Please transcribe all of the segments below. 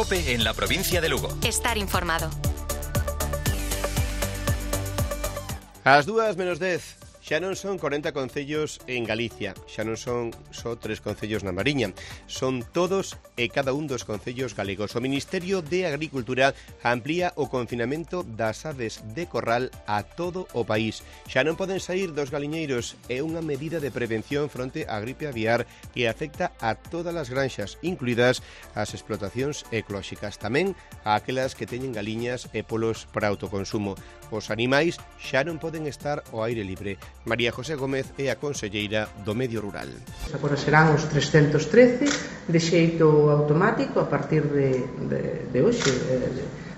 COPE en la provincia de Lugo. Estar informado. Ás 2:10, xa non son 40 concellos en Galicia, xa non son só 3 concellos na Mariña, son todos e cada un dos concellos galegos. O Ministerio de Agricultura amplía o confinamento das aves de corral a todo o país. Xa non poden saír dos galiñeiros, é unha medida de prevención fronte á gripe aviar que afecta a todas as granxas, incluídas as explotacións ecolóxicas, tamén a aquelas que teñen galiñas e polos para autoconsumo. Os animais xa non poden estar ao aire libre. María José Gómez é a conselleira do Medio Rural. Agora serán os 313 de xeito automático a partir de hoxe,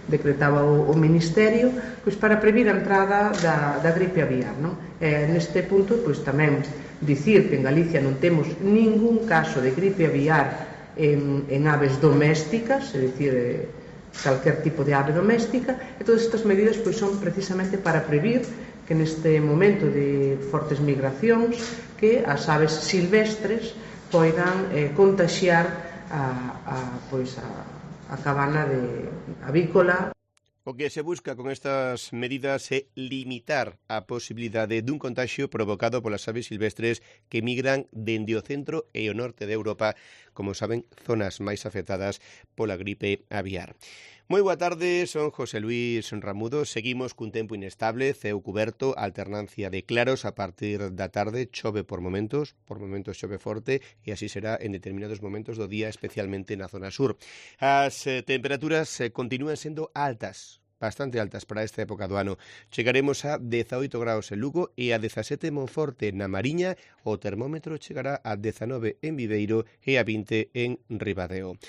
decretaba o Ministerio, pois para previr a entrada da gripe aviar, non? Neste punto, pois tamén dicir que en Galicia non temos ningún caso de gripe aviar en aves domésticas, é dicir, calquer tipo de ave doméstica, e todas estas medidas pois son precisamente para previr que neste momento de fortes migracións que as aves silvestres poidan contaxiar a cabana avícola. O que se busca con estas medidas é limitar a posibilidade dun contagio provocado polas aves silvestres que migran dende o centro e o norte de Europa, como saben, zonas máis afectadas pola gripe aviar. Moi boa tarde, son José Luis Ramudo. Seguimos cun tempo inestable, ceo cuberto, alternancia de claros a partir da tarde, chove por momentos chove forte e así será en determinados momentos do día, especialmente na zona sur. As temperaturas continúan sendo altas, bastante altas para esta época do ano. Chegaremos a 18 graus en Lugo e a 17 en Monforte. Na Mariña o termómetro chegará a 19 en Viveiro e a 20 en Ribadeo.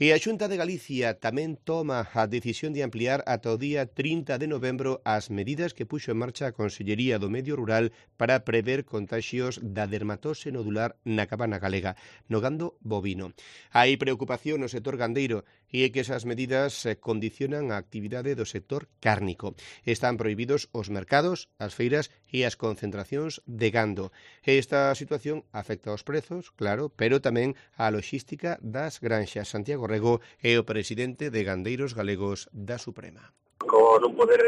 E a Xunta de Galicia tamén toma a decisión de ampliar ata o día 30 de novembro as medidas que puxo en marcha a Consellería do Medio Rural para prever contaxios da dermatose nodular na cabana galega, no gando bovino. Hai preocupación no sector gandeiro e é que esas medidas condicionan a actividade do sector cárnico. Están prohibidos os mercados, as feiras e as concentracións de gando. Esta situación afecta aos prezos, claro, pero tamén á logística das granxas. Santiago Rego é o presidente de Gandeiros Galegos da Suprema. Con non poder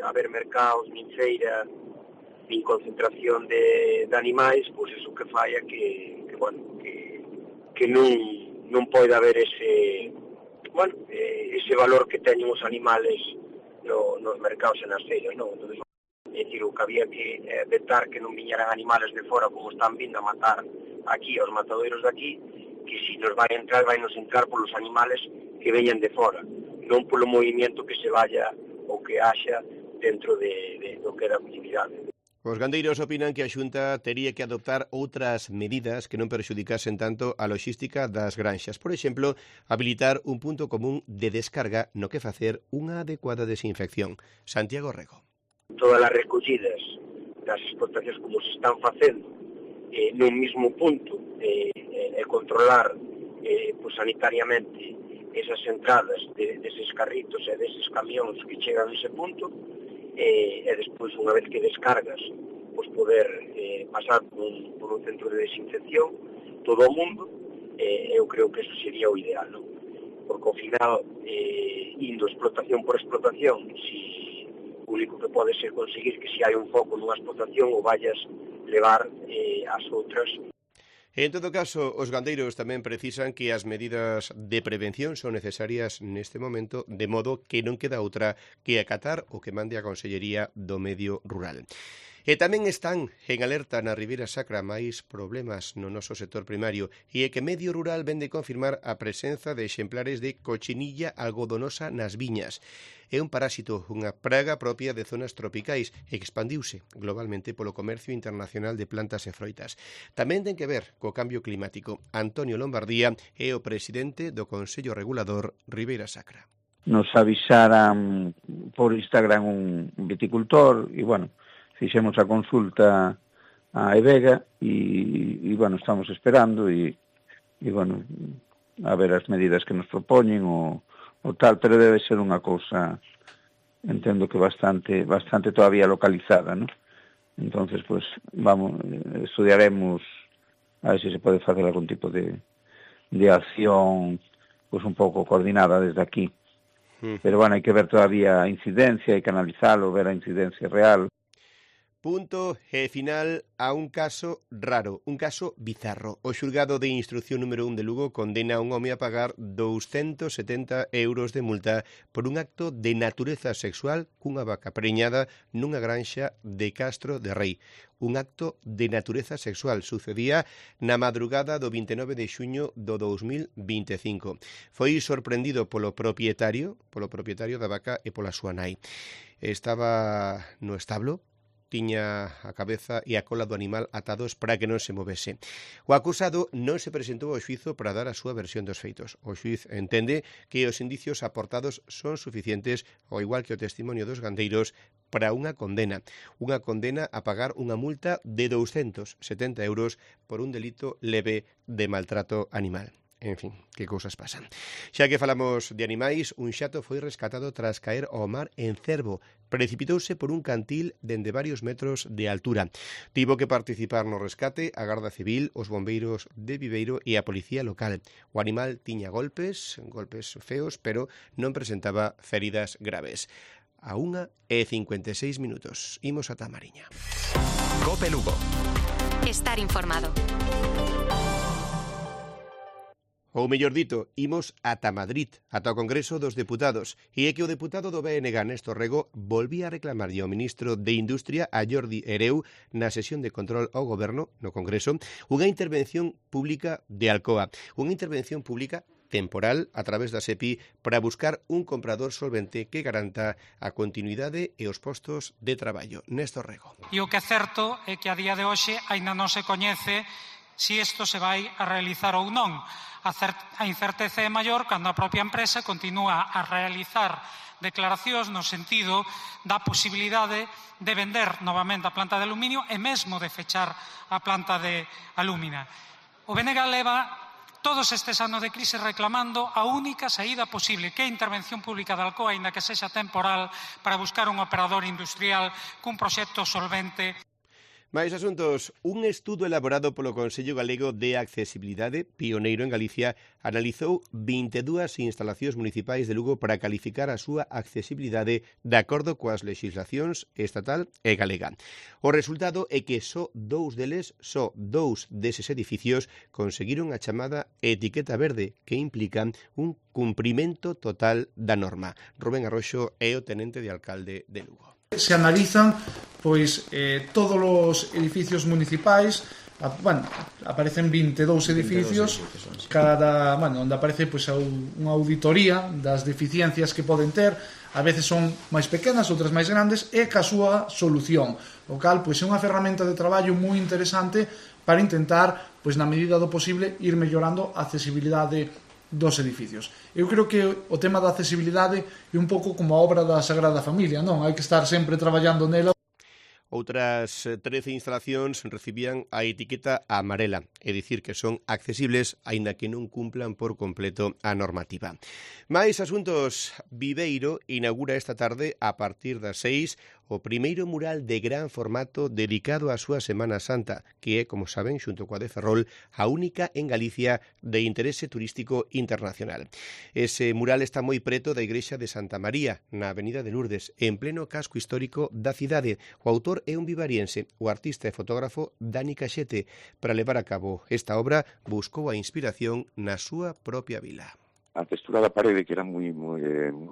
haber mercados, nin feira, nin concentración de animais, pois iso que fai é que non pode haber ese valor que teñen os animales nos mercados e nas feiras, non? Entonces, é dicir, o que había que vetar que non viñeran animales de fora como están vindo a matar aquí, aos matadoiros de aquí, que se nos vai entrar polos animales que veñan de fora, non polo movimento que se vaya ou que haxa dentro do que é da actividade. Os gandeiros opinan que a Xunta tería que adoptar outras medidas que non perxudicasen tanto a logística das granxas. Por exemplo, habilitar un punto común de descarga no que facer unha adecuada desinfección. Santiago Rego. Todas as recollidas das explotacións como se están facendo nun mismo punto e controlar sanitariamente esas entradas deses carritos e deses camións que chegan a ese punto e despois, unha vez que descargas, poder pasar por un centro de desinfección todo o mundo. Eu creo que eso sería o ideal, non? Porque ao final, indo explotación por explotación, si o único que pode ser conseguir que se hai un foco nunha explotación o vayas levar as outras. En todo caso, os gandeiros tamén precisan que as medidas de prevención son necesarias neste momento, de modo que non queda outra que acatar o que mande a Consellería do Medio Rural. E tamén están en alerta na Ribeira Sacra máis problemas no noso sector primario e é que Medio Rural vende confirmar a presenza de exemplares de cochinilla algodonosa nas viñas. É un parásito, unha praga propia de zonas tropicais e expandiuse globalmente polo comercio internacional de plantas e froitas. Tamén ten que ver co cambio climático. Antonio Lombardía é o presidente do Consello Regulador Ribeira Sacra. Nos avisaran por Instagram un viticultor e, fixemos a consulta a Evega e estamos esperando e a ver as medidas que nos propoñen o tal, pero debe ser unha cousa, entendo que bastante todavía localizada, ¿no? Entonces, estudiaremos a ver se pode facer algún tipo de acción pues un pouco coordinada desde aquí. Pero bueno, hai que ver todavía a incidencia, hai que analizalo, ver a incidencia real. Punto e final a un caso raro, un caso bizarro. O xulgado de instrucción número 1 de Lugo condena a un home a pagar 270 euros de multa por un acto de natureza sexual cunha vaca preñada nunha granxa de Castro de Rei. Un acto de natureza sexual sucedía na madrugada do 29 de xuño do 2025. Foi sorprendido polo propietario da vaca e pola súa nai. Estaba no establo, tiña a cabeza e a cola do animal atados para que non se movese. O acusado non se presentou ao xuízo para dar a súa versión dos feitos. O xuíz entende que os indicios aportados son suficientes, ao igual que o testimonio dos gandeiros, para unha condena a pagar unha multa de 270 euros por un delito leve de maltrato animal. En fin, que cousas pasan. Xa que falamos de animais, un xato foi rescatado tras caer ao mar en Cervo. Precipitouse por un cantil dende varios metros de altura. Tivo que participar no rescate a Garda Civil, os bombeiros de Viveiro e a policía local. O animal tiña golpes feos, pero non presentaba feridas graves. A 1:56 minutos. Imos ata a Mariña. Cope Lugo. Estar informado. Ou mellor dito, imos ata Madrid, ata o Congreso dos Deputados, e é que o deputado do BNG, Néstor Rego, volvía a reclamarlle ao ministro de Industria, a Jordi Hereu, na sesión de control ao Goberno, no Congreso, unha intervención pública de Alcoa, unha intervención pública temporal a través da SEPI para buscar un comprador solvente que garanta a continuidade e os postos de traballo. Néstor Rego. E o que é certo é que a día de hoxe aínda non se coñece se isto se vai a realizar ou non. A incerteza é maior cando a propia empresa continúa a realizar declaracións no sentido da posibilidade de vender novamente a planta de aluminio e mesmo de fechar a planta de alúmina. O BNG leva todos estes anos de crise reclamando a única saída posible, que é a intervención pública de Alcoa, aínda que sexa temporal, para buscar un operador industrial cun proxecto solvente. Mais asuntos, un estudo elaborado polo Consello Galego de Accesibilidade, pioneiro en Galicia, analizou 22 instalacións municipais de Lugo para calificar a súa accesibilidade de acordo coas legislacións estatal e galega. O resultado é que só dous deses edificios conseguiron a chamada etiqueta verde, que implica un cumprimento total da norma. Rubén Arroxo é o tenente de alcalde de Lugo. Se analizan todos os edificios municipais, aparecen 22 edificios, onde aparece unha auditoría das deficiencias que poden ter, a veces son máis pequenas, outras máis grandes, e ca súa solución, o cal é unha ferramenta de traballo moi interesante para intentar, na medida do posible, ir mellorando a accesibilidade dos edificios. Eu creo que o tema da accesibilidade é un pouco como a obra da Sagrada Familia, non? Hai que estar sempre traballando nela. Outras 13 instalacións recibían a etiqueta amarela, é dicir que son accesibles aínda que non cumplan por completo a normativa. Mais asuntos, Viveiro inaugura esta tarde a partir das 6 o primeiro mural de gran formato dedicado á súa Semana Santa, que é, como saben, xunto coa de Ferrol, a única en Galicia de interese turístico internacional. Ese mural está moi preto da igrexa de Santa María, na Avenida de Lourdes, en pleno casco histórico da cidade. O autor é un vivariense, o artista e fotógrafo Dani Caxete. Para levar a cabo esta obra, buscou a inspiración na súa propia vila. A textura da parede, que era moi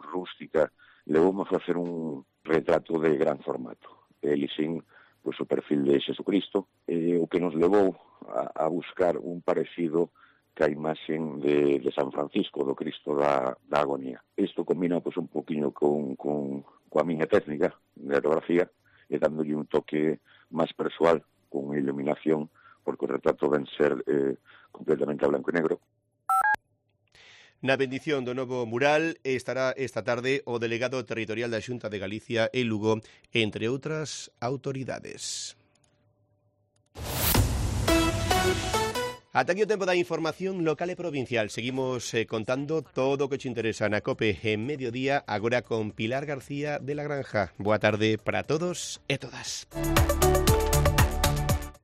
rústica, levoume a facer un retrato de gran formato. Ele sin o perfil de Xesucristo, o que nos levou a buscar un parecido ca imaxen de San Francisco, do Cristo da Agonía. Isto combina un poquinho coa miña técnica de aerografía, e dándolle un toque máis persoal, con iluminación, porque o retrato ven ser completamente a blanco e negro. Na bendición do novo mural estará esta tarde o delegado territorial da Xunta de Galicia en Lugo, entre outras autoridades. Ata aquí o tempo da información local e provincial. Seguimos contando todo o que te interesa na COPE en mediodía, agora con Pilar García de la Granja. Boa tarde para todos e todas.